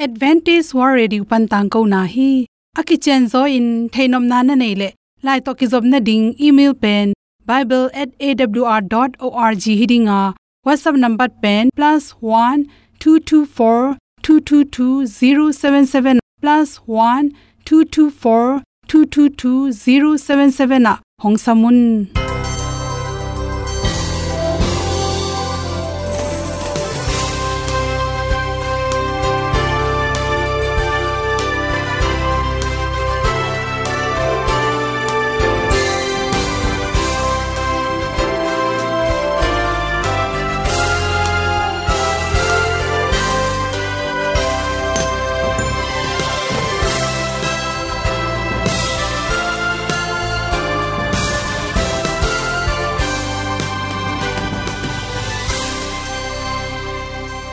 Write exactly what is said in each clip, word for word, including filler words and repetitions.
Adventist World Radio pan tangkona hi. A kicianzaw in theihnopna na neih leh, lai tawh kizopna ding email pen bible at A W R dot org hi ding a, WhatsApp number pen plus one two two four two two two zero seven seven, plus one two two four two two two zero seven seven ah hong sam un.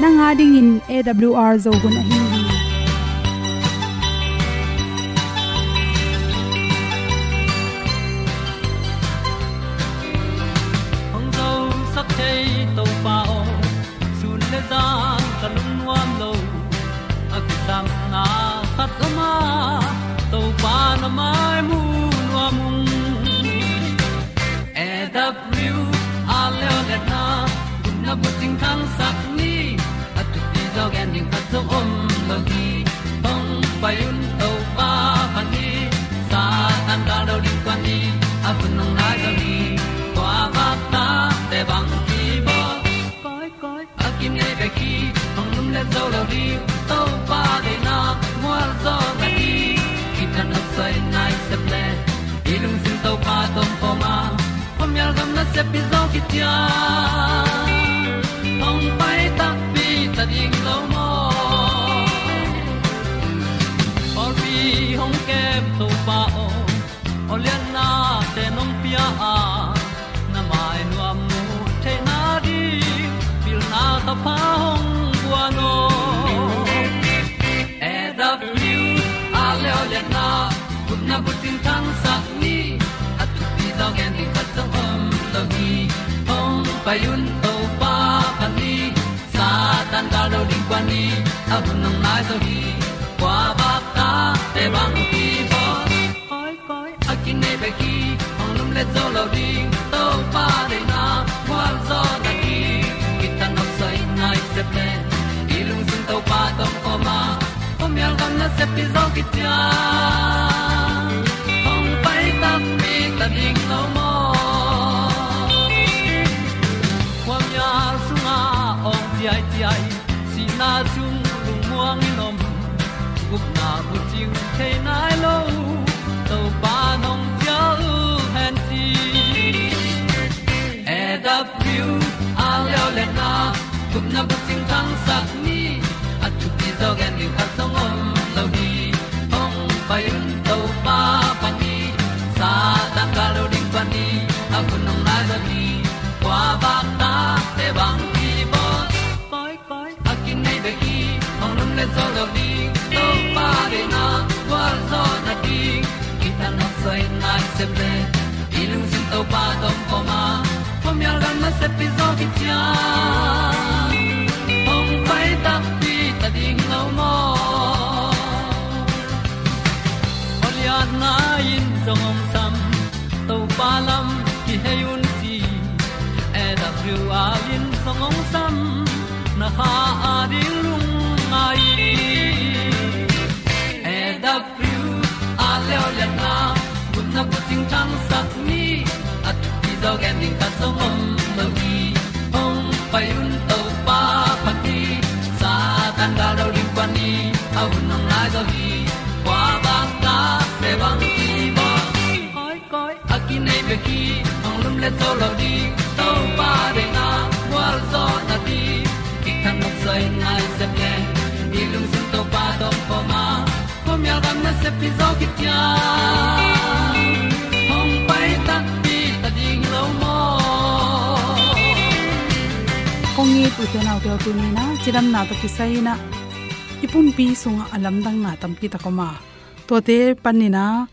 Nang a dingin A W R Zo hun ahi hi. Hong zosak thei Topa aw, sun le zan ka lungnuam lo. A kisapna khat om a, Topa na mai mu nuam ung. A W R leo le na, gupna bucing thangsak ni, a thupi zaw gen ding khat zong om lo hi. Hong pai un Topa phat ni, Satan gal do ding kuan ni, a hun hong nai zaw hi. Kua vak ta te bang kibawl. Koi, koi, a kinei bek hi, hong lum le zo lo ding, Topa deihna mual zaw na hi. Kithat nop soi nai sep le, i lungsim Topa tawh kawm a, khuamial gam nasep i zaw kician. Hong pai takpi ta ding lo maw? Pawlpi hong kem Topa aw, awliatnate nong pia a, na mai nuam mu theihna ding pilna thapha hong guan aw. A W R leo le na, gupna bucing thangsak ni, a thupi zaw gen ding khat zong om lo hi. Hong pai un Topa phat ni, Satan gal do ding kuan ni, a hun hong nai zaw hi. Kua vak ta te bang kibawl. Koi, koi, a kinei bek hi, hong lum le zo lo ding, Topa deihna mual zaw na hi. Kithat nop soi nai sep le, i lungsim Topa tawh kawm a, khuamial gam nasep i zaw kician. Hong pai takpi ta ding lo maw? Khuamial sungah awng ciaiciai, sihna sung lungmuang in om, gupna bucing thei nai lo, Topa nong cial hen ci. A W R leo le na, gupna bucing thangsak ni, a thupi zaw gen ding khat zong om lo hi. Hong pai un Topa phat ni, Satan gal do ding kuan ni, a hun hong nai zaw hi. Kua vak ta te bang kibawl. Koi, koi, a kinei bek hi, hong lum le zo lo ding, Topa deihna gualzawhna ding. Kithat nop soi nai sep le, i lungsim Topa tawh kawm a, khuamial gam nasep i zaw kician. Hong pai takpi ta ding lo maw? Awliatna in zong hong sam, Topa lam kihei un ci. A W R in zong hong sam, na kha a ding lungngai. A W R leo liatna, gupna bucing thangsak ni, a thupi zaw gen ding khat zong om lo hi. Hong pai un Topa phat ni, Satan gal do ding kuan ni, a hun hong nai zaw hi. Kua bang ta te bang kibawl. Koi, koi, a kinei bek hi, hong lum le zo lo ding, Topa deihna gualzawhna ding. Kithat nop soi nai sep le, i lungsim Topa tawh kawm a, khuamial gam nasep i zaw kician. Hong pai takpi ta ding lo maw? Kong it u te nau te aw, tuni in ah cidamna tawh kisai in ah i pumpi sungah a lamdangna tampi tak om a, tuate panin ah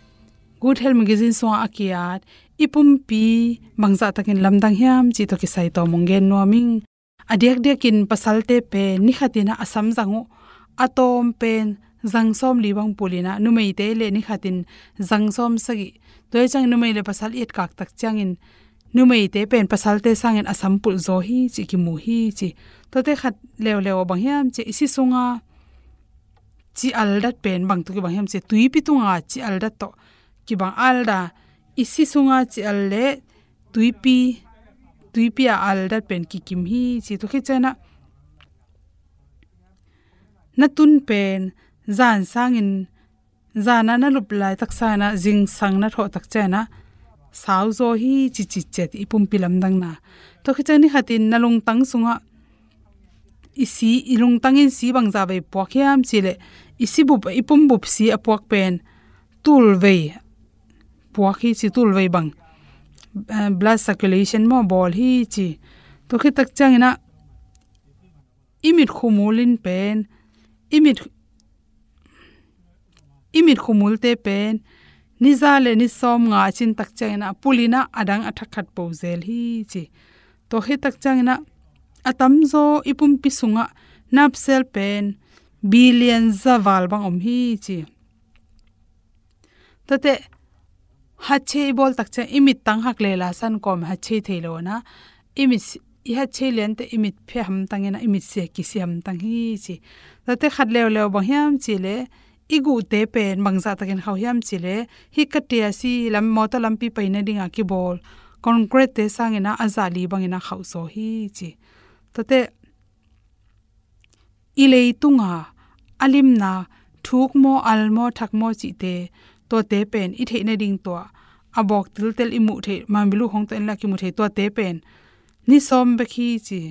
Good Health Magazine sungah a ki-at i pumpi bangzah takin lamdang hiam cih tawh kisai tawm hong gen nuam ing. A diakdiakin pasalte pen ni khat in ah a sam zang uh, a tawm pen zang sawmli bang pul in ah, numeite le ni khatin zang sawmsagih. Tua hi ciang numei le pasal i etkak tak ciangin numeite pen pasalte sangin a sam pulh zaw hi ci, kimu hi ci. Tuate khat leuleu ah bang hiam ci, i si sunga ci aldat pen bang tawh kibang hiam ci, tuipi tunga ci aldat tawh kibang. Alda, i si sunga ci al le tuipi, tuipi a aldat pen kikim hi ci. Tua khit ciang ah na tun pen zan sangin, zan a na lup laitak sangin ah zingsang na thawh tak ciang ah sau zaw hi ci, ci ciat i pumpi lamdangna. Tua khit ciang ni khatin na lungtang sungah i si, i lungtangin si bangzah vei puak hiam ci leh, i si bup, i pum bup si a puak pen tulvei puak hi ci, tulvei bang, eh, blood circulation maw, bawl hi ci. Tua khit tak ciangin ah i mit khumul in pen, i mit, i mit khumulte pen ni za le ni sawmnga a cin tak ciangin ah pul in ah a dang a thak khat po zel hi ci. Tua khit tak ciangin ah a tamzaw i pumpi sungah nerve cell pen billion za val bang om hi ci. Tuate hatchei i bawl tak ciang i mit tang hak le la san kawm hatchei thei lo na. I mit si-, i hatchei liante i mit phe hamtang in ah, i mit sia kisi hamtang hi ci. Tuate khat leuleu bang hiam ci leh, i guhte pen bangzah takin khauh hiam ci leh, hih ka tia si lam, mawtaw lampi paina dingah kibawl concrete sangin ah a zah li bangin ah khauh zaw hi ci. Tuate i leitunga a limna, thuk maw, al maw, thak maw cihte, tuate pen i theih nading tua a bawk tiltel i muh theih, manbilu hong tawh en la kimu thei, tuate pen ni sawm bek hi ci.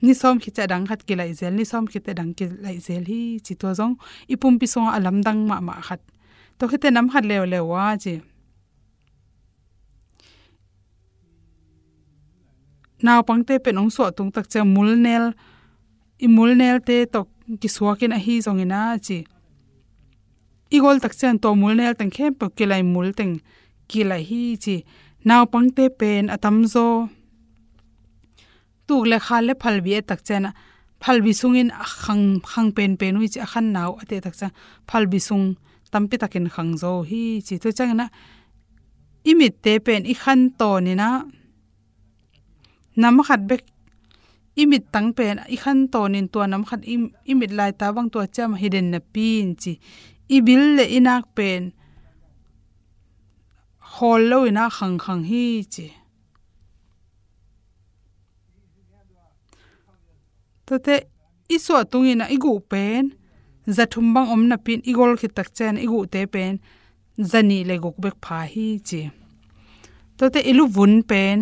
Ni sawm khit ciang a dang khat kilaih zel, ni sawm khit ciang a dang kilaih zel hi ci. Tua zong i pumpi sungah a lamdang mahmah khat. Tua khit ciang nam khat leuleu a ci, naupangte pen hong suah tung tak ciang mulnel, i mulnelte tawh kisuak in ahi zongin a ci, i gol tak ciang tua mulnel teng khempeuh kilaih, mul teng kilaih hi ci. Naupangte pen a tamzaw tuk le khal le phalbi et tak ciang ah, phalbi sungin a khang, khang penpen uh hi ci, a khan nau a teh tak ciang phalbi sung tampi takin khang zaw hi ci. Tua ciangin ah i mitte pen i khan tawnin ah nam khat bek, i mit tang pen i khan tawnin tua nam khat i, i mit laita bang tua ciam hi den napi in ci, i bil le i nak pen khawl lo in ah khang khang hi ci. Tuate i suah tungin ah i guh pen za thum bang om napi in i gol khit tak ciang i guhte pen za nih le guk bek pha hi ci. Tuate i luvun pen,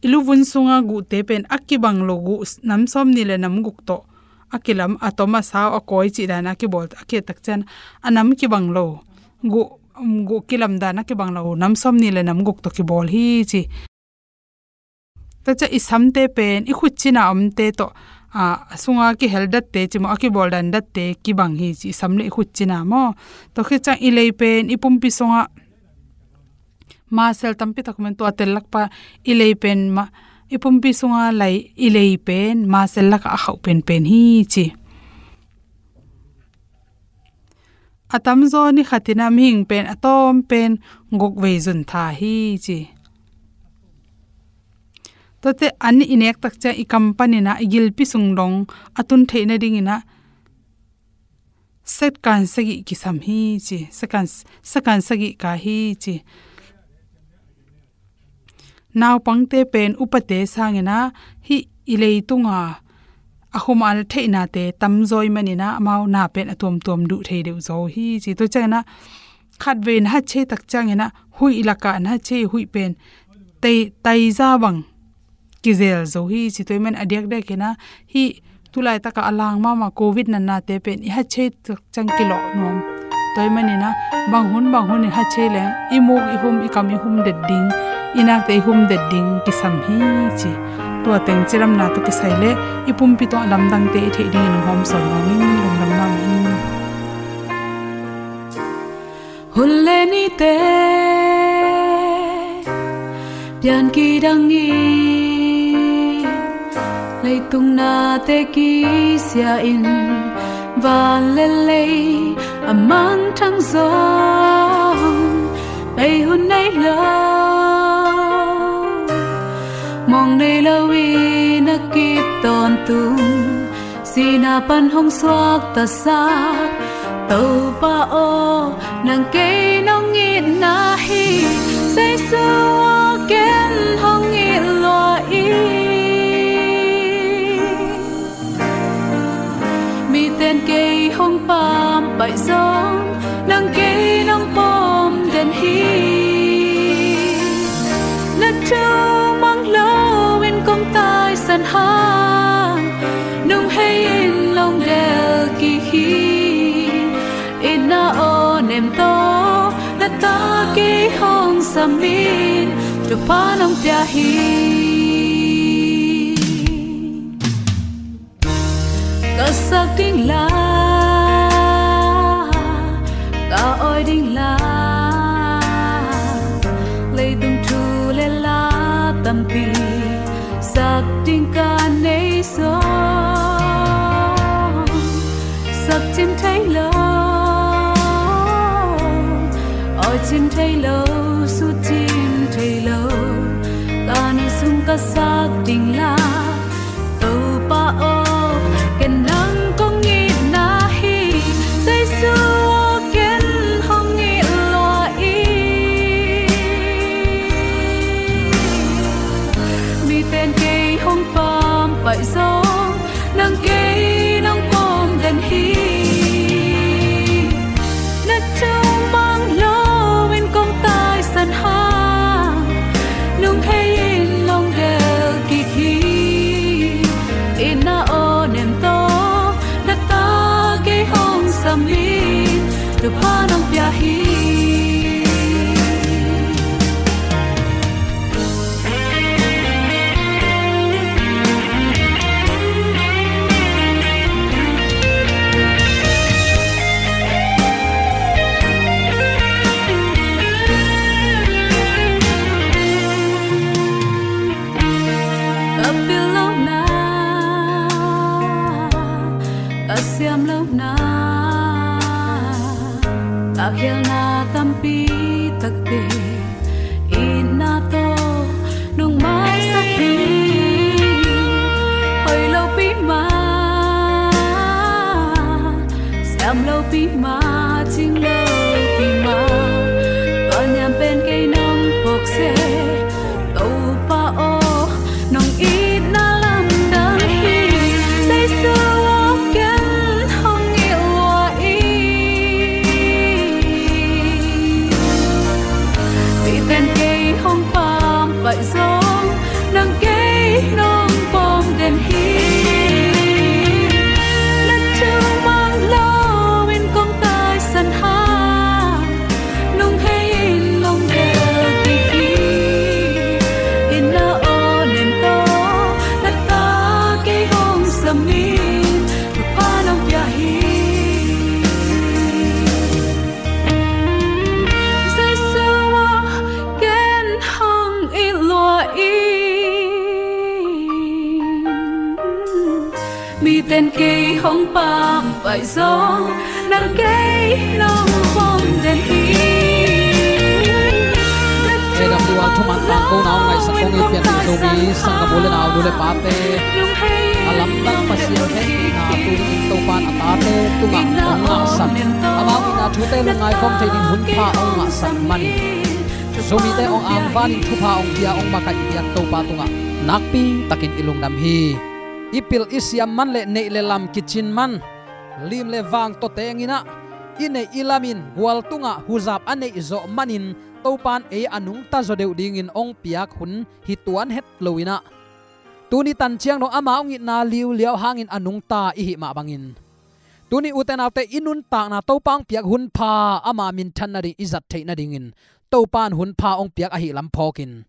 i luvun sunga guhte pen a kibang lo guh nam sawmnih le nam guk tawh a kilam, a tom a sau a kawi cih dan a kibawl a kih tak ciang a nam kibang lo guh, um, guh kilam dan a kibang lo nam sawmnih le nam guk tawh kibawl hi ci. Tua ciang i samte pen i khut cina omte tawh, a, a sunga kihel datte ci maw, a kibawl dan datte kibang hi ci, i sam le i khut cina maw. Tua khit ciang i lei pen i pumpi sungah muscle tampi tak om in, tua tel lakpa i lei pen ma, i pumpi sunga lai, i lei pen muscle lakah a khauh penpen hi ci. A tamzaw ni khatin ah mihing pen a tawm pen guk vei zun tha hi ci. Tuate an i nek tak ciang i kam panin ah i gilpi sung dong a tun theih nadingin ah second sagih kisam hi ci. Second, second sagih ka hi ci. Naupangte pen upate sangin ah hih i leitunga a khumal theihnate tamzaw ahih manin ah amau na pen a tuamtuam duh thei deuh zaw hi ci. Tua ciangin ah khatvei na hatchei tak ciangin ah huih lakah na hatchei huih pen tai, taiza bang kizel zo hi ci. Tua ahih manin a diakdiakin ah hih tulaitakah a lang mahmah Covid natnate pen i hatchei tak ciang kilawh nuam. Tua ahih manin ah bang hun bang hun i hatchei leng i muk i hum, i kam i hum det ding, i nakte i hum det ding kisam hi ci. Tua teng cidamna tawh kisai leh i pumpi tawh a lamdangte i theih dingin hong hawmsawn nuam ing. Lungdam mahmah ing. Hun le nite pian kidang in, Leitung nate kisia in van le lei a mangthang zong, pei hun nei lo, mong nei lo in a kip tawntung, sihna pan hong suaktasak Topa aw, nang kei nong itna hi. Jesu aw, ken hong it lua in. Miten kei hong pampaih zong, nang kei nong pom den hi. Na thu mang lo in kong taisan hang, nung hei in long del kik hi. Itna aw nem tawh, na ta kei hong sam in, thupha nong pia hi. Ka sak ding la, ka awi ding la, leitung thu le la tampi sak ding ka nei zong, sak cin thei lo, awi cin thei lo, sut cin thei lo, ka nu sung ka sak ding la. Topa aw, ken nang kong itna hi. Jesu aw, ken hong it lua in. Miten kei hong pampaih zong, nang kei nong pom den hi. Na thu mang lo in kong taisan hang, nung hei in long del kik hi. Itna aw nem tawh, na ta kei hong sam in, thupha nong pia hi. Ka pil lo na, ka siam lo na, ka khialna tampi takte, itna tawh nong maisak hi. Hoih lo pi mah, siam lo pi mah, cing lo pi mah, tua niam pen kei nong phawk seh. Topa aw, nong itna lamdang hi. Jesu aw, ken hong it lua in. Miten kei hong pampaih zong, nang kei nong pom den hi. Na thu mang lo in kong taisan hang, nung hei in long del kik hi. Itna aw nem tawh, na ta kei hong sam in, thupha nong pia hi. Jesu aw, ken hong it lua in. Miten kei hong pampaih zong, nang kei nong pom den hi. A W R thuman tangkona hong ngaihsak kong it pian ding Zomi sanggam u le nau, nu le pate, a lamdang Pasian hehpihna tuni-in Topa'n a tate tungah hong ngahsan, amau itna thute lungngai khawm thei ding hun pha hong ngahsan manin, Zomite hong angvanin thupha hong pia, hong makaih piak Topa tungah nakpi takin i lungdam hi. I pil i siam man le neih le lam kicin man, lim le vang tawteng inah, i neih i lam in gual tungah huzap a neih zawh manin Topa'n ei a nungta zaw deuh dingin hong piak hun hi tuan het lo inah, tuni tan ciang dong ama hong itna liuliau hangin a nungta i hih mah bangin, tuni ute naute, i nuntakna Topa hong piak hun pha ama minthan nading i zat theih nadingin Topa'n hun pha hong piak ahih lam phawkin,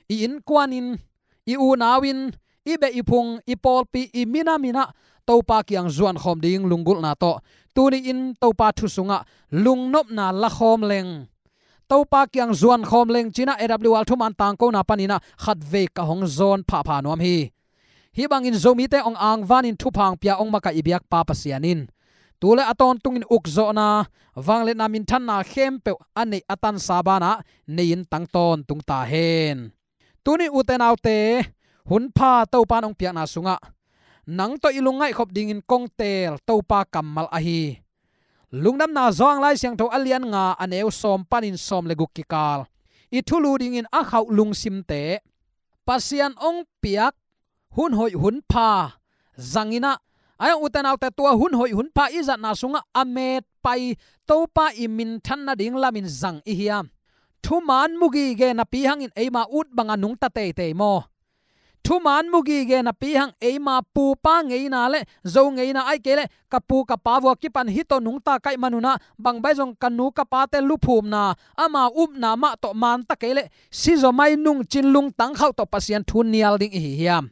i innkuan in, i unau in, i beh i phung, i pawlpi, i minam inah Topa kiang zuankhawm ding lunggulhna tawh tuni-in Topa thu sungah lungnopna lakhawm leng, Topa kiang zuankhawm leng ci-inah A W R thuman tangkona paninah khatvei ka hong zawn phapha nuam hi. Hih bangin Zomite hong angvanin thupha hong pia hong makaih i biakpa Pasian in tu le a tawntungin ukzawhna, vangliatna, minthanna khempeuh a neih a tansa banah nei-in tang tawntung ta hen. Tuni ute naute, hun pha Topa in hong piakna sungah nang tawh i lungngaih khop dingin kong teel Topa kammal ahi Lungdamna Johan Lai Siangtho a lian nga a neu sawm panin sawm le guk kikal i thulu dingin a khauh lungsimte Pasian hong piak hun hoih hun pha zang in ah, a hang ute naute, tua hun hoih hun pha i zatna sungah a metpai Topa i minthan nading lamin zang i hiam? Thuman mu gige napi hangin eima ut banga nungta teitei maw? Thuman mu gige napi hang eima pupa ngeina le zo ngeina, ahih kei leh ka pu ka pa vua kipan hih tawh nungta kaih manun ah bang bang zong ka nu ka pate luphumna, amau upna mah tawh manta kei leh sizaw mai nungcin lungtang khauh tawh Pasian thu nial ding i hi hiam?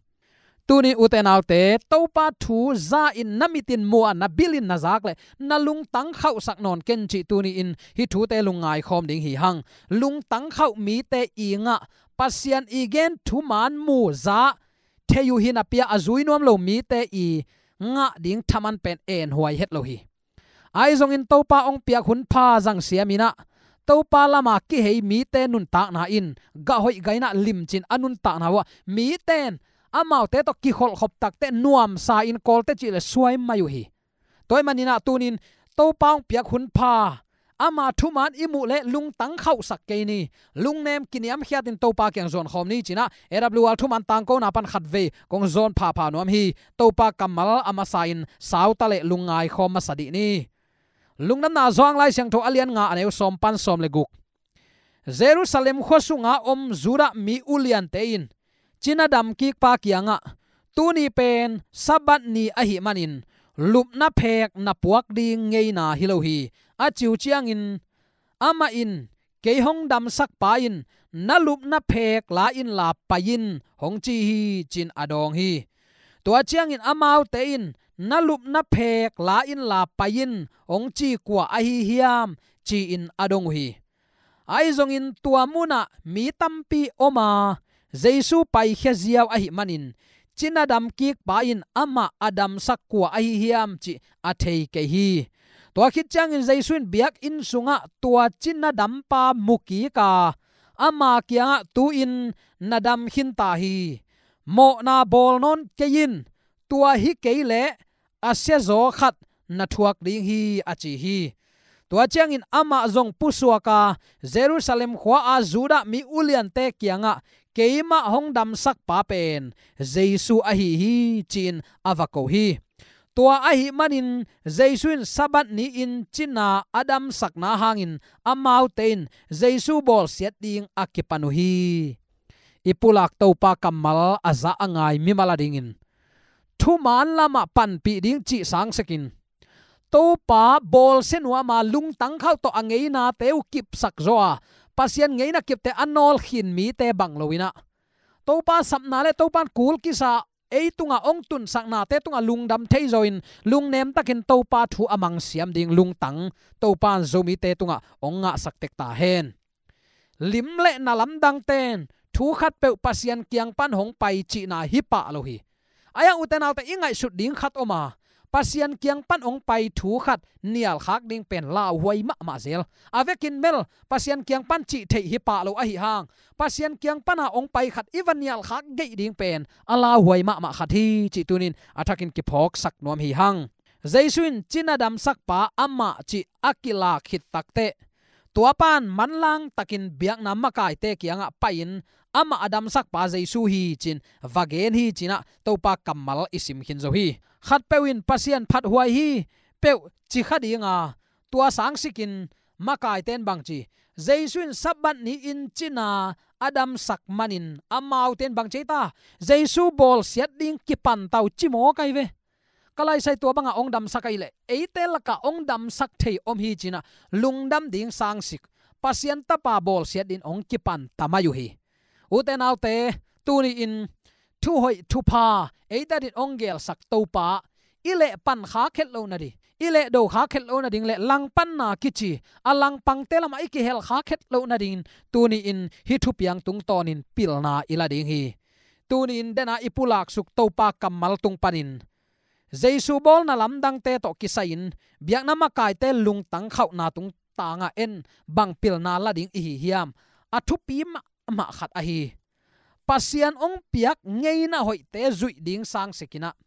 Tuni ute naute, Topa thu za in na mitin mu a, na bilin na zak leh na lungtang khauhsak nawn ken cih tuni-in hih thute lungngai khawm ding hi hang. Lungtang khauh mite i ngah, Pasian i gen thuman mu za thei uh hi napi-a a zui nuam lo mite i ngah ding thaman pen enhuai het lo hi. Ahi zongin Topa hong piak hun pha zang siam in ah, Topa lama kihei mite nuntakna in gah hoih gah in ah limcin a nuntakna uh ah, mite in amaute tawh kikholhkhop takteh nuamsa in kawlte cih leh suai mai uh hi. Tua ahih manin ah tunin Topa hong piak hun pha, ama thuman i muh leh lungtang khauhsak kei ni. Lungnem kiniamkhiatin Topa kiang zuan khawm ni ci-in ah A W R thuman tangkona pan khatvei kong zawn phapha nuam hi. Topa kammal a masa in sau ta leh lungngai khawm masa dih ni. Lungdamna Johan Lai Siangtho a lian nga a neu sawm pan sawm le guk. Jerusalem khua sunga om Judah mi uliante in cina damkikpa kiangah, "Tuni pen Sabbath ni ahih manin lupna phek na puak ding ngeina hi lo hi," a ci uh ciangin, amah in, "Kei hong damsakpa in, 'Na lupna phek la inla pai in,' hong ci hi," ci-in a dawng hi. Tua ciangin amaute in, "'Na lupna phek la inla pai in,' hong ci kua ahi hiam?" ci-in a dong uh hi. Ahi zongin tua munah mi tampi om a, Jesu paikhia ziau ahih manin cina damkikpa in amah a damsak kua ahi hiam cih a thei kei hi. Tua khit ciangin Jesu in biakinn sungah tua cina dampa mu kik a, ama kiangah, "Tu-in na dam khin ta hi. Mawhna bawl nawn kei in, tua hi kei leh a siazaw khat na thuak ding hi," a ci hi. Tua ciangin amah zong pusuak a, Jerusalem khua-a Judah mi uliante kiangah, "Keimah hong damsakpa pen Jesu ahi hi," ci-in a va ko hi. Tua ahih manin Jesu in Sabbath ni-in cina a damsakna hangin amaute in Jesu bawlsiat ding a kipan uh hi. I pulak Topa kammal a za a ngai mimal a dingin thuman lamah panpih ding cih sangsekin Topa bawlsia nuam a, lungtang khauh tawh a ngeinate uh kipsak zaw a, Pasian ngeina kipte a nawlkhin mite bang lo in ah, Topa sapna le Topa in kul kisa ei tungah hong tunsaknate tungah lungdam thei zawin lungnem takin Topa thu a mangsiam ding lungtang Topa in Zomite tungah hong ngahsak tek ta hen. Lim le na lamdangte in thu khatpeuh Pasian kiang pan hong pai cihna hi pah lo hi. Ahi hang ute naute, i ngaihsut ding khat om a, Pasian kiang pan hong pai thu khat nialkhak ding pen lauhuai mahmah zel. A vekin bel Pasian kiang pan cih theih hi pah lo ahih hang, Pasian kiang pana hong pai khat i va nialkhak geih ding pen a lauhuai mahmah khat hi cih tunin a thakin kiphawksak nuam hi hang. Jesu in cina damsakpa amah cih a kilak khit takteh, tua pan manlang takin biakna makaite kiangah pai-in, "Amah a damsakpa Jesu hi," ci-in va gen hi, ci-in ah Topa kammal i sim khin zo hi. Khatpeuh in Pasian phathuai hi peuh ci kha ding a, tua sangsikin makaite in bang ci? "Jesu in Sabbath ni-in cina a damsak manin amaute in bang ci ei ta? Jesu bawlsiat ding kipan ta uh ci mawk ahi ve. Ka laisai tua bangah hong damsak ahih leh eite lakah hong damsak thei om hi," ci-in ah lungdam ding sangsik, Pasian Tapa bawlsiat dingin hong kipan ta mai uh hi. Ute naute, tuni-in thuhoih thupha eite adingin hong gelsak Topa i lehpan khak het loh nading, i lehdo khak het loh nading le langpanna kici a langpangte lamah i kihel khak het loh nadingin tuni-in hih thupiang tungtawnin pilna i la ding hi. Tuni-in dena i pulaksuk Topa kammal tung panin Jesu bawlna lamdangte tawh kisai-in biakna makaite lungtang khauhna tungtangah en bang pilna la ding i hi hiam? A thupi mahmah khat ahi Pasian hong piak ngeina hoihte zuih ding sangsikinah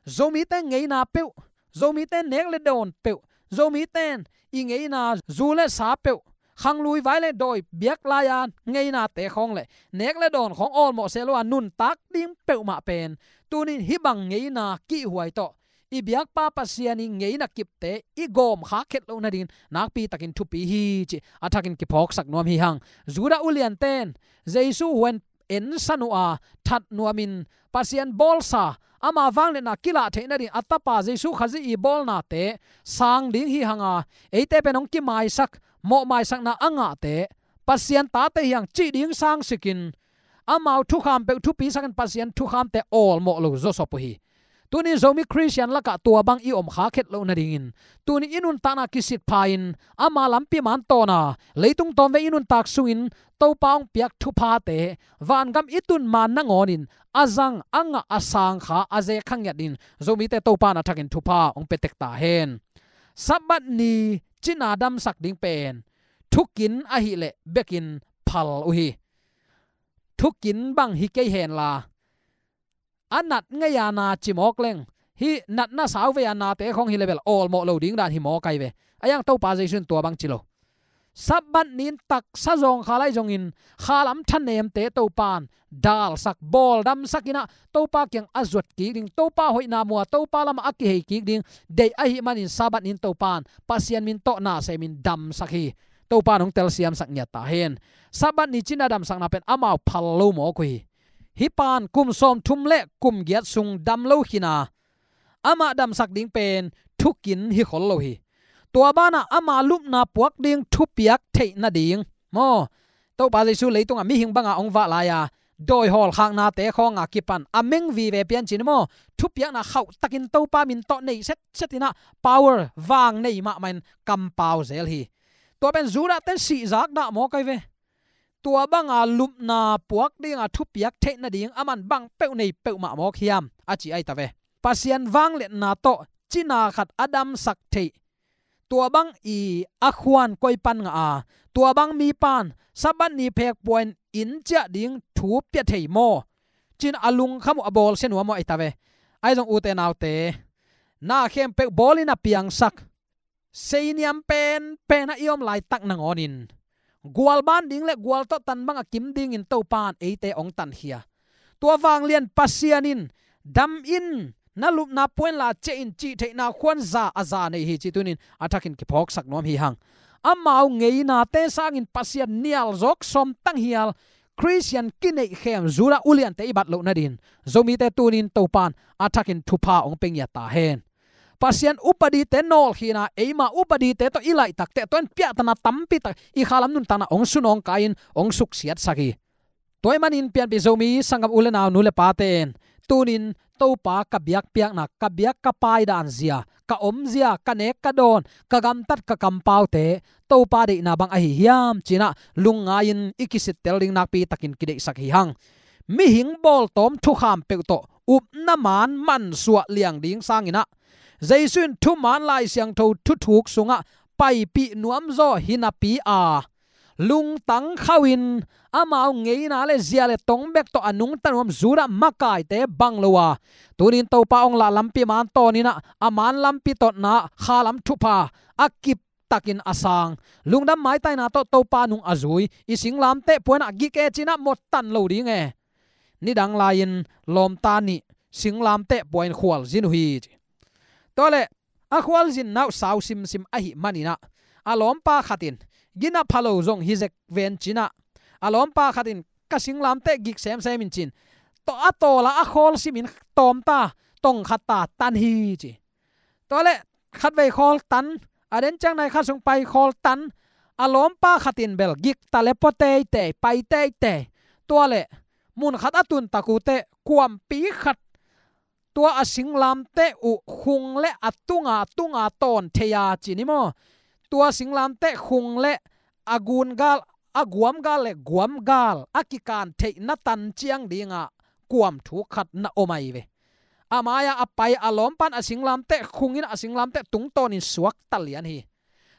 Zomite ngeina peuh, Zomite nek le dawn peuh, Zomite in i ngeina zu le sa peuh, khanglui vai le dawi biak lai-a ngeinate khawng le nek le dawn khawng awlmawh seh lo-a nuntak ding peuhmah pen tunin hih bang ngeina kihhuai tawh i biakpa Pasian i ngeina kipte i gawm khak khet loh nadingin nakpitakin thupi hi cih a thakin kiphawksak nuam hi hang. Judah ulianten Jesu huan ensan uh a that nuamin Pasian bawlsa ama vangliatna kilah theih nading a tapa Jesu Khazih i bawlnate sang ding hi hanga, eite pen hong kimaisak, mawhmaisakna a ngahte Pasian tate hi hang cih ding sangsikin amau thukham peuh thupisakin Pasian thukhamte awlmawh lo zawsop uh hi. Tuni Zomi Khristian lakah tua bang i om khak khet loh nadingin tuni i nuntakna kisitpha-in ama lampi man tawna leitung tawmvei i nuntak sungin Topa hong piak thuphate vangam i tun man nangawnin a zang a ngah a sang kha a ze kha ngiat in Zomite Topa in a thakin thupha hong pia tek ta hen. Sabbath ni cina damsak ding pen thukin ahih leh bekin phal uh hi. Thukin bang hi kei henla a nat ngei-a na ci mawk leng, hih natna sauvei-a nate khawng hi le bel awlmawh lo ding dan hi mawk ai ve. A hiang Topa Jesu in tua bang ci lo. Sabbath ni-in taksa zawngkhal ahi zongin khalam thanemte Topa in dalsak, bawldamsak inah Topa kiang a zuat kik ding, Topa hoihna mua, Topa lamah a kihei kik ding deih ahih manin Sabbath ni-in Topa in Pasian min tawh na semin damsak hi. Topa in hong telsiamsak ngiat ta hen. Sabbath ni cina damsakna pen amau phal lo mawk uh hi. Hih pan kum sawmthum le kum giat sung dam lo khina amah damsak ding pen thukin hi khol lo hi. Tua banah ama lupna puak ding thupiak theih nading maw, Topa Jesu leitungah mihing banga hong vah lai-a dawi hawlkhaknate khawnga kipan a meng vive piancin maw, thupiakna khauhtakin Topa min tawh nei setset inah power vang nei mahmah in kampau zel hi. Tua pen Judah ten sihzak dah mawk ai ve. Tua banga lupna puak dinga thupiak theih nading aman bang peuh nei peuhmah mawk hiam a ci ahi ta ve. Pasian vangliatna tawh cina khat a damsak theih, tua bang i a khuan koi pan ngah a, tua bang mi pan Sabbath ni phekpuain inn ciah ding thu pia thei maw, cin a lungkham uh a bawlsia nuam uh ahi ta ve. Ahi zong ute naute, na khempeuh bawlin a piangsak seiniam penpen a i om laitak nangawnin gual ban ding le gual tawh tan banga kim dingin Topa in eite hong tankhia. Tua vanglian Pasian in dam in, na lupna puain la ciah in cih theihna khuan za a za nei hi cih tunin a thakin kiphawksak nuam hi hang. Amau ngeinate sangin Pasian nial zawk sawm tanghial Khristian kineihkhem Judah uliante i bat loh nadin Zomite tunin Topa in a thakin thupha hong pia ngiat ta hen. Pasian upadite nawlkhina eima upadite tawh i laihtakte tuan piahtana tampitak i khalam nuntakna hong sunawng kai-in hong suksiatsak hi. Tua ahih manin pianpih Zomi sanggam u le nau, nu le pate in tunin Topa ka biakpiakna, ka biak ka paidan zia, ka omzia, ka nek ka dawn, ka gamtat ka kampaute Topa deihna bang ahi hiam cinah lungngai-in i kisittel ding nakpitakin kideihsak hi hang. Mihing bawltawm thukham peuh tawh upna man mansuah liang ding sanginah Jesu in thuman Lai Siangtho thuthuk sungah paipih nuamzaw hi napi a lungtang khauhin amau ngeina le zia le tong bek tawh a nungta nuam Judah makaite bang lo a, tunin Topa hong lah lampi man tawninah a man lampi tawtna khalam thupha a kip takin a sang, lungdam maitaina tawh Topa nung a zui i singlamteh puanah gik e cinah mawt tan lo ding e. Nidang lai-in lawmta nih singlamteh puain khualzin uh hi ci. Tualeh a khualzinna uh sau simsim ahih maninah a lawmpa khatin gina pha lo zong hi zek ven cinah a lawmpa khatin ka singlamteh gik semsem in cin tawh a tawla a khawl simin tawmta tong khat ta tan hi ci. Tualeh khatvei khawl tan, a den ciang nai khat sung pai khawl tan, a lawmpa khatin bel gik ta le pua teitei, pai teitei. Tualeh mun khat a tun tak uh teh kuampi khat tua a singlamteh uh khung le a tunga tunga tawn thei a ci ni maw? Tua singlamteh khung le a gungal, a guamgal le guamgal a kikan theihna tan ciang dingah kuam thuk khat na om ahi ve. A mai-ah a pai a lawmpan a singlamteh khungin a singlamteh tungtawnin suakta lian hi.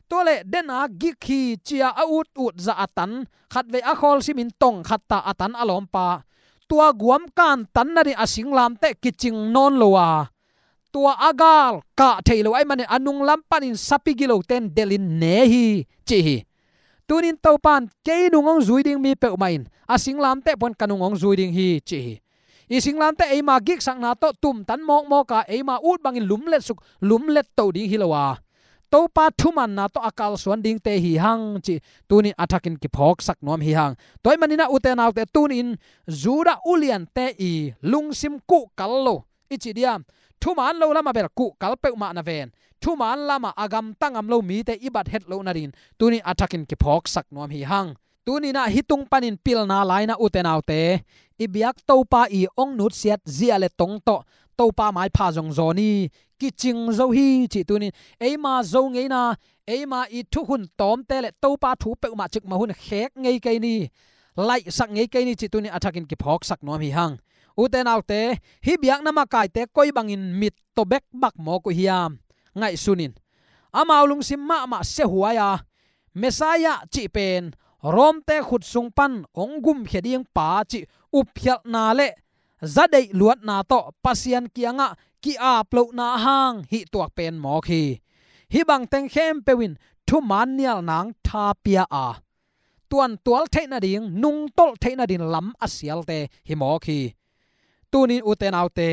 Tua leh dena gik hi ci-a a ut ut zah a tan, khatvei a khawl simin tong khat ta a tan a lawmpa, tua guam kan tan nading a singlamteh kicing nawn lo a, tua a gal kah thei lo ahih manin a nunglam panin sapi gilote'n delhin ne hi ci hi. Tunin Topa'n kei nung hong zui ding mi peuhmah in a singlamteh pan ka nung hong zui ding hi ci hi. I singlamteh eima giksakna tawh tumtan mawkmawk a, eima ut bangin lumlet suk lumlet to ding hi lo a, Topa thumanna tawh a kalsuan dingte hi hang cih tunin a thakin kiphawksak nuam hi hang. Tua ahih manin ah, ute naute, tunin Judah uliante i lungsim kuhkal lo i ci diam, thuman lo lamah bel kuhkal peuhmah na ven, thuman lamah a gamta ngam lo mite i bat het loh nadingin tunin a thakin kiphawksak nuam hi hang. Tunin ah hih tung panin pilna lai-in ah, ute naute, i biak Topa i hong nutsiat zia le tong tawh Topa maipha zong zawn hi, kicing zo hi cih tunin eima Zo ngeina, eima i thukhun tawmte le Topa thu peuhmah cikmah hun khek ngei kei ni, laihsak ngei kei ni cih tunin a thakin kiphawksak nuam hi hang. Ute naute, hih biakna makaite koi bangin mit tawh bekbak mawk uh hiam? Ngaihsun in. Amau lungsim mahmah siahuai a, Messiah cih pen Rom-te khut sung pan hong gumkhia ding pa cih upkhialhna le zadeih luatna tawh Pasian kiangah ki-ap lohna hang hih tuak pen mawk hi. Hih bang teng khempeuh in thuman nial nang tha pia a, tuantual theih nading, nungtolh theih nading lam a sialte hi mawk hi. Tunin, ute naute,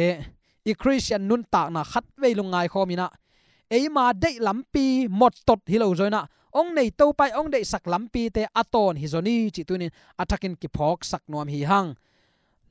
i Khristian nuntakna khatvei lungngai khawm in ah, eima deih lampi mawttot hi lo zaw in ah, hong nei Topa i hong deihsak lampite a tawn hi zaw ni cih tunin a thakin kiphawksak nuam hi hang.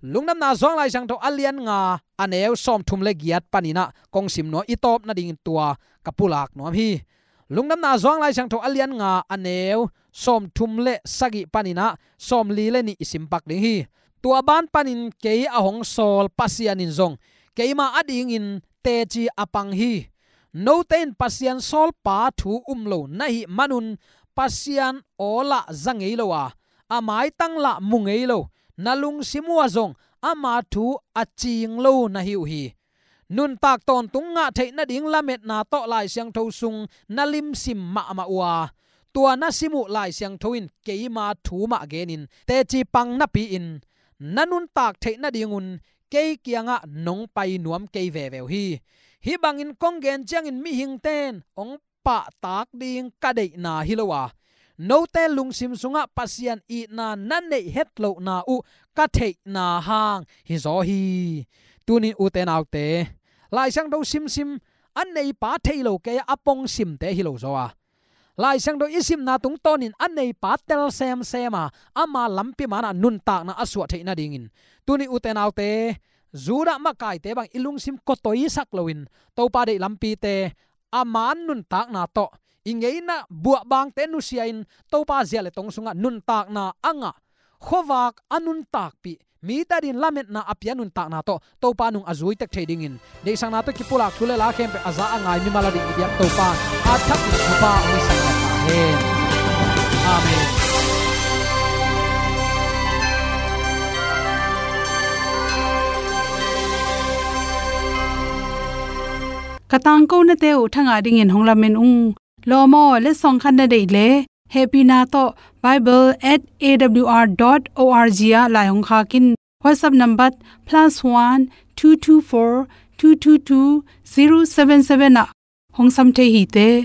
Lungdamna Johan Lai Siangtho a lian nga, a neu sawmthum le giat panin ah kong sim nuam, i tawp nadingin tua ka pulak nuam hi. Lungdamna Johan Lai Siangtho a lian nga, a neu sawmthum le sagih panin ah sawmli le nih i sim pak ding hi. Tua ban panin kei a hong sawl Pasian in zong keima adingin teci a pang hi. Note in Pasian sawlpa thu um lo na hih manun Pasian aw lah za ngei lo a, a maitang lah mu ngei lo, na lungsim uh ah zong ama thu a cing lo na hi uh hi. Nuntak tawntung ngah theih nading lametna tawh Lai Siangtho sung na limsim mahmah uh a, tua na sim uh Lai Siangtho in keima thu mah genin teci pang napi-in, na nuntak theih nadingun kei kiangah nong pai nuam kei veve uh hi. Hih bangin kong gen ciangin mihingte in hong pahtak ding ka deihna hi lo a, note lungsim sungah Pasian itna na neih hetlohna uh ka theihna hang hi zaw hi. Tunin, ute naute, Lai Siangtho simsim, a neipa thei lo kei a, a pong simte hi lo zaw a, Lai Siangtho i simna tungtawnin a neipa tel semsem a, ama lampi manah nuntakna a suah theih nadingin, tunin, ute naute, Judah makaite bang i lungsim kawtoisak loin Topa deih lampite a man nuntakna tawh, i ngeina buahbangte nusia-in Topa zia le tong sungah nuntakna a ngah, khuavak a nuntakpih, mite adingin lametna a pia nuntakna tawh Topa nung a zui tek thei dingin, deihsakna tawh kipulak thu le la khempeuh a za a ngai mimal ading i biak Topa a thak in thupha hong hisak ta hen. Amen. Ka tangkonate uh thangah dingin hong lamen ung. Lawm aw, letsong khat na deih leh, hehpihna tawh bible at A W R dot O R G ah lai hong khak in. WhatsApp number plus one two two four two two two zero seven seven ah hong sam thei hi te.